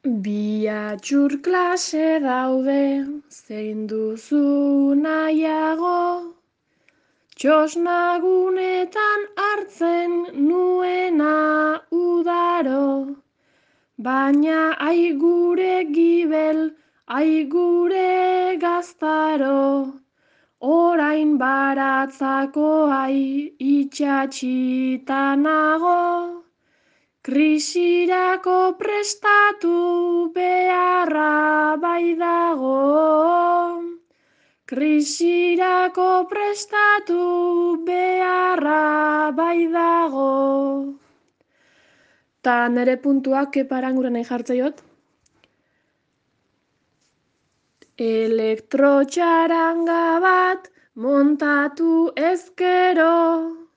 Bi atxur klase daude, zein duzu nahiago, txosnagunetan hartzen nuena udaro, baina ai gure gibel, ai gure gaztaro, orain baratzako ai itxatxita nago. Krisirako prestatu beharra bai dago. Krisirako prestatu beharra bai dago. Ta nere puntuak keparanguren nahi jartzaiot. Elektrotxaranga bat montatu ezkero.